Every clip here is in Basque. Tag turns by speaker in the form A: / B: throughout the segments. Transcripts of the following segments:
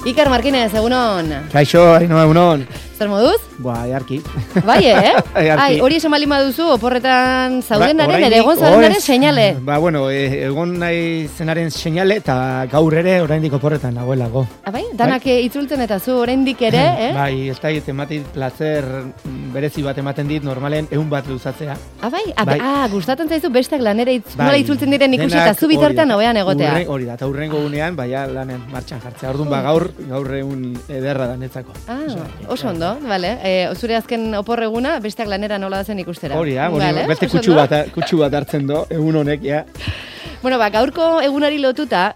A: Iker Markinez, egunon.
B: Kaixo, Ainhoa, egunon.
A: Zer moduz?
B: Jarki.
A: Bai, Ai, hori esan bali maduzu, oporretan zaudenaren, ere egon zaudenaren seinale.
B: Egon nahi zenaren seinale eta gaur ere oraindik oporretan nagoelako.
A: Bai, danak itzultzen eta zu oraindik ere,
B: Bai, ez da ematit placer berezi bat ematen dit, normalen 100 bat luzatzea.
A: Gustatzen zaizu besteak lanera nola itzultzen diren ikusi eta zu bitartean hobean egotea.
B: Hori da, eta hurrengo gunean, baina lanen martxan jartzea. Orduan, gaur egun ederra da netzako.
A: Oso ondo, bale. Zure azken oporreguna, besteak lanera nola dazen ikustera.
B: Hori da, beste kutsu bat hartzen do, egun honek, ja.
A: Bueno, gaurko egunari lotuta,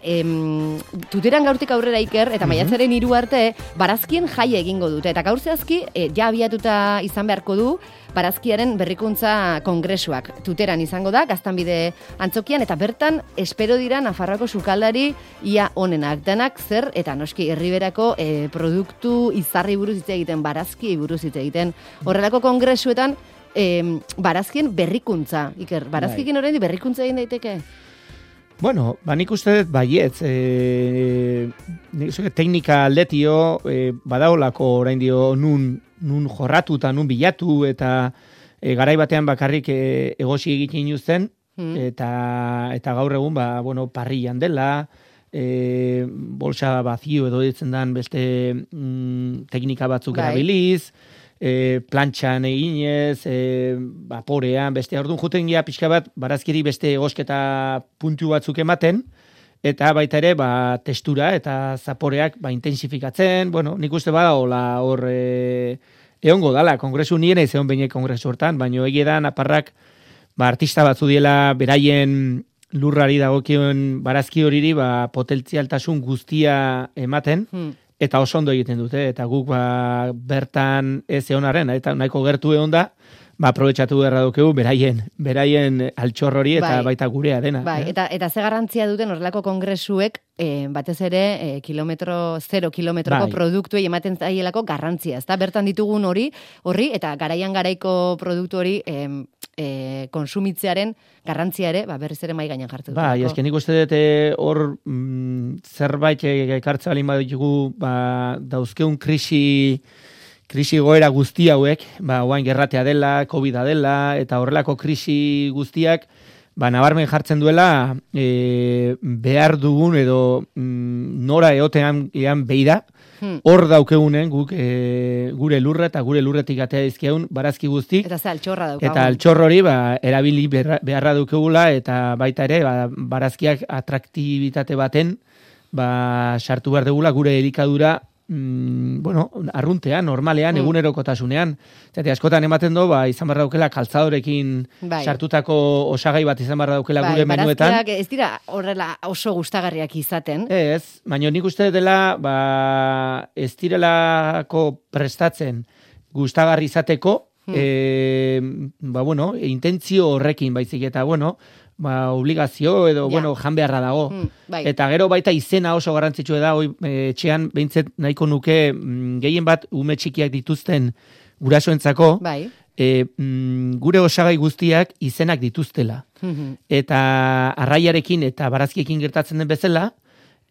A: tuteran gaurtik aurrera Iker, eta maiatzaren 3 arte, barazkien jaia egingo dute. Eta gaur zehazki, ja abiatuta izan beharko du, barazkiaren berrikuntza kongresuak. Tuteran izango da, Gaztanbide antzokian, eta bertan espero dira Nafarroako sukaldari ia onenak. Danak zer, eta noski herriberako produktu izarri buruz hitz egiten, barazki buruz hitz egiten. Horrelako kongresuetan, barazkien berrikuntza. Iker, barazkiekin oraindik berrikuntza egin daiteke?
B: Bueno, nik uste dut baietz, teknika aldetio, badaolako orain dio nun jorratu eta nun bilatu, eta garai batean bakarrik egosi egiten inuzten, eta gaur egun, parrillan dela, bolsa bazio edo ditzen dan beste teknika batzuk erabiliz, plantxan eginez, vaporean, beste orduan juten gira pixka bat, barazkiri beste egosketa puntu batzuk ematen, eta baita ere, testura eta zaporeak intensifikatzen, nik uste bada hor egongo dala, kongresu nien ez egon behinek kongresu hortan, baina egia da naparrak artista batzu diela beraien lurrari dagokion barazki horiri potentzialtasun guztia ematen, eta oso ondo egiten dute, eta guk bertan ez egonaren, eta nahiko gertu egon da, aprobetxatu beharra dukegu beraien altxor hori eta baita gurea dena.
A: Eta ze garrantzia duten horrelako kongresuek, batez ere, 0 kilometroko produktuei ematen zaielako garrantzia, ezta? Bertan ditugun horri, eta garaian garaiko produktu hori konsumitzearen garrantzia ere, berriz ere mai gainean jartu.
B: Esken nik uste dut hor zerbait ekartza balin baditugu dauzkeun krisi goera guzti hauek, oain gerratea dela, COVID-a dela, eta horrelako krisi guztiak, nabarmen jartzen duela behar dugun edo nora eotean beida, hor daukegunen guk gure lurra eta gure lurretik atea dizkeun barazki guztik.
A: Eta ze altxorra daukagun.
B: Eta altxor hori erabili beharra daukegula eta baita ere barazkiak atraktibitate baten sartu behar dugula gure elikadura arruntean, normalean, egunerokotasunean. Zate, askotan ematen du, izan barra daukela kaltzadorekin sartutako osagai bat izan barra daukela gure menuetan.
A: Barazkiak ez dira horrela oso gustagarriak izaten.
B: Ez, baina nik uste dela ez direlako prestatzen gustagarri izateko, intentzio horrekin baizik eta, obligazio edo, jan beharra dago. Eta gero baita izena oso garrantzitsua da, etxean behintzet nahiko nuke gehien bat ume txikiak dituzten gurasoentzako, gure osagai guztiak izenak dituztela. Eta arraiarekin eta barazkiekin gertatzen den bezala,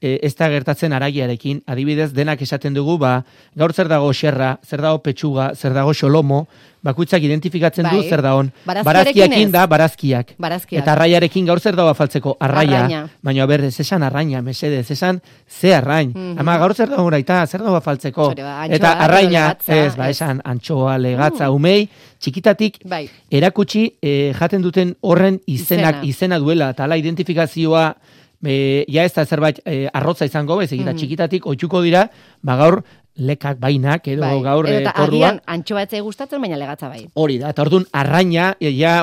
B: ez da gertatzen araiarekin. Adibidez, denak esaten dugu, gaur zer dago xerra, zer dago petxuga, zer dago xolomo, bakuitzak identifikatzen du zer dagoen. Barazkiakin da barazkiak. Eta arraiarekin gaur zer dago afaltzeko, arraia. Baina, ez esan arraina, mesedez, esan ze arrain. Ama gaur zer dago naita, zer dago afaltzeko. Eta arraina, esan antxoa, legatza, umei, txikitatik erakutsi jaten duten horren izena duela, eta ala identifikazioa ez da zerbait arrotza izango, ez egita txikitatik, oitzuko dira, gaur lekak bainak, edo gaur
A: eta agian antxoa etzai gustatzen, baina legatza bai.
B: Hori da, eta orduan arraina,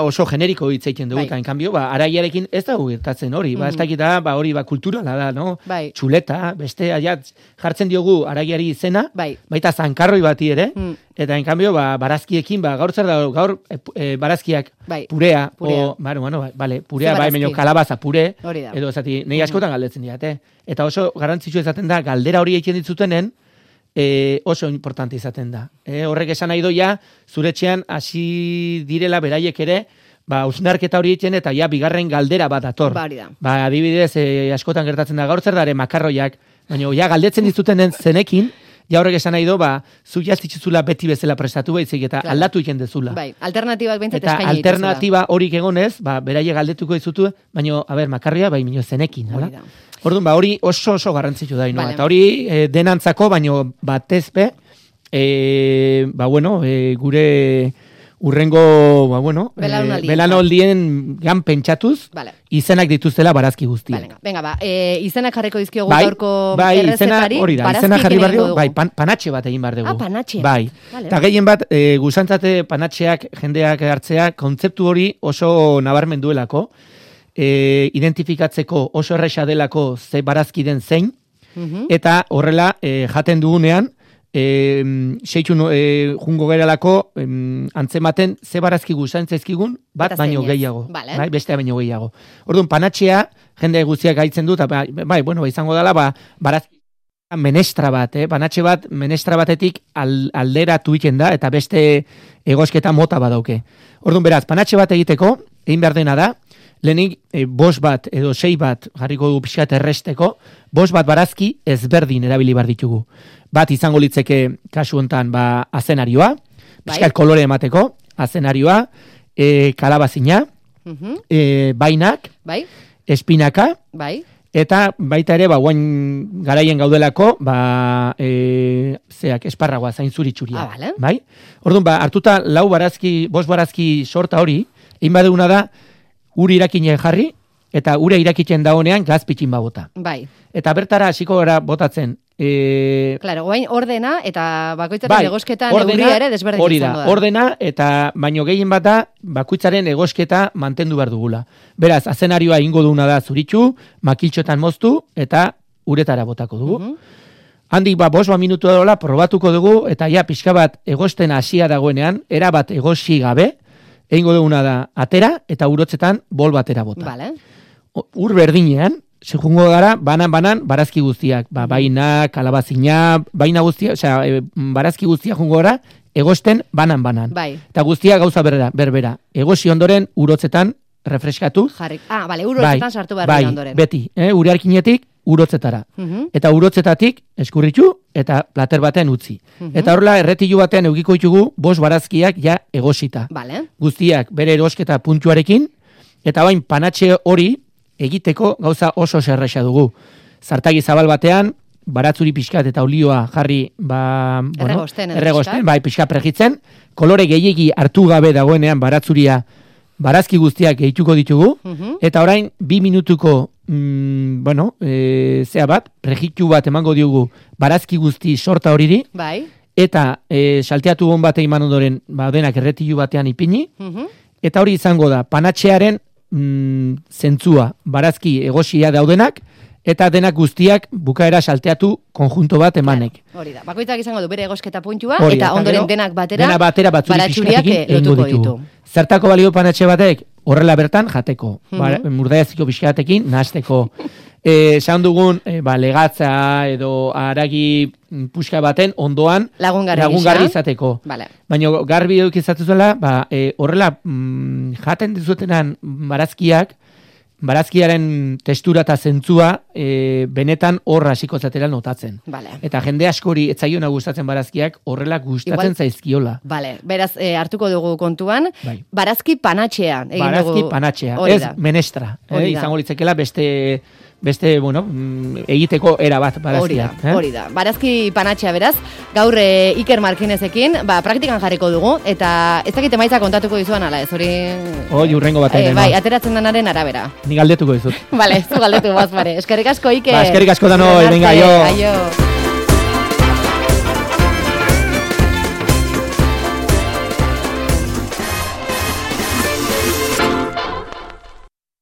B: oso generiko hitz egiten dugu, eta en cambio, araiarekin ez da gertatzen hori, ez dakita, hori kulturala da, no? Txuleta, beste, jartzen diogu araiari izena, baita zankarroi bati ere, eta en cambio, barazkiekin, gaur zer da, gaur barazkiak purea, purea, baino kalabaza pure, edo ezati, nahi askotan galdetzen diate. Eta oso garrantzitsu ezaten da, galdera hori egiten ditzutenen, oso importante izaten da. Horrek esan nahi doia, zure etxean hasi direla beraiek ere, hausnarketa hori egiten eta bigarren galdera bat ator.
A: Adibidez,
B: adibidez, askotan gertatzen da gaur zer dare makarroiak, Baina, ja, galdetzen dizuten zenekin, ja horrek esan nahi do, zu jaztitxuzula beti bezala prestatu baizik, eta aldatu iken dezula.
A: Bai, alternatibak bentzat
B: eskaini dituzula. Eta alternativa horik egonez, beraie galdetuko dizutu, baina, makarria, mino zenekin, hala? Orduan, hori oso garrantzitsu da, no? Eta hori denantzako, baina batezpe, gure urrengo, belaunaldien gan pentsatuz, izenak dituztela barazki guztiak.
A: Venga, izenak jarriko dizkiogu gaurko errezetari.
B: Izenak jarri behar dugu, panatxe bat egin behar dugu.
A: Panatxe.
B: Bai, eta gehien bat, guzantzate panatxeak, jendeak hartzea, kontzeptu hori oso nabarmen duelako, identifikatzeko oso erresa delako ze barazki den zein, eta horrela jaten dugunean, seitxun jungo geralako antzematen ze barazki guzantzaizkigun bat baino gehiago. Bestea baino gehiago. Orduan, panatxea, jende guztiak gaitzen dut, izango dela, barazki menestra bat, panatxe bat, menestra batetik alderatu iken da, eta beste egosketa mota badauke. Orduan, beraz, panatxe bat egiteko, egin behar dena da, lehenik, 5 bat edo 6 bat, jarriko du pixkat erresteko, 5 bat barazki ezberdin erabili behar ditugu. Bat izango litzeke kasu hontan azenarioa, pixkat kolore emateko, azenarioa, kalabazina, bainak, espinaka, eta baita ere, guain garaien gaudelako, esparragoa, zain zuritxuria. Orduan, hartuta 5 barazki sorta hori, egin badeguna da, uri irakinen jarri, eta ure irakitzen dagonean gaz pitxin bota. Eta bertara hasiko gara botatzen.
A: Claro, guain ordena eta bakoitzaren egosketan euria ere desberdin izango da.
B: Ordena eta baino gehien bat da bakoitzaren egosketa mantendu behar dugula. Beraz, azenarioa ingo duguna da zuritxu, makiltxotan moztu eta uretara botako dugu. Handik 5 minutu edola probatuko dugu eta ja pixka bat egosten hasia dagoenean, erabat egosi gabe, egingo duguna da atera eta urotzetan bol batera bota. Ur berdinean, jungo gara, banan, barazki guztiak. Baina, kalabazina, baina guztiak, barazki guztiak jungo gara, egosten banan. Eta guztiak gauza berbera. Egosi ondoren, urotzetan, refreskatu.
A: Urotzetan sartu behar ondoren.
B: Beti, urearkinetik, urotzetara. Eta urotzetatik, eskurritxu, eta plater baten utzi. Eta horrela, erretilu batean eukiko ditugu, 5 barazkiak ja egosita. Guztiak bere erosketa puntuarekin, eta bain panatxe hori, egiteko gauza oso zerresa dugu. Zartagi zabal batean, baratzuri pixkat eta olioa jarri erregosten, pixkat pregitzen, kolore gehiegi hartu gabe dagoenean baratzuria barazki guztiak gehituko ditugu, eta orain 2 minutuko pregitu bat emango diogu barazki guzti sorta horiri, eta salteatu hon bat eman ondoren denak erretilu batean ipini, eta hori izango da panatxearen zentzua, barazki egosia daudenak, eta denak guztiak bukaera salteatu konjunto bat emanek.
A: Hori da, bakoitzak izango du bere egosketa puntua, eta ondoren denak batera
B: baratxuriak lotuko ditu. Zertako balio panatxe batek? Horrela bertan jateko. Murdaiaziko pixkatekin nahasteko. Esan dugun, legatza edo haragi puxka baten ondoan lagungarri izateko. Baina garbi duk izatu zuela, horrela jaten dizutenan barazkiaren testura eta zentzua benetan horra hasiko zatera notatzen. Eta jende askori etzaiona gustatzen barazkiak horrela gustatzen zaizkiola.
A: Beraz, hartuko dugu kontuan, barazki panatxea.
B: Barazki panatxea, ez menestra. Izango litzekela beste egiteko era bat barazkia.
A: Hori da. Barazki panatxea beraz, gaur Iker Markinezekin, praktikan jarriko dugu, eta ez dakit emaitza kontatuko dizuan ala ez, hori...
B: Urrengo batean.
A: Ateratzen denaren arabera.
B: Ni galdetuko dizut.
A: Zu galdetu bazpare. Eskerrik asko, Iker.
B: Eskerrik asko dano, venga, aio.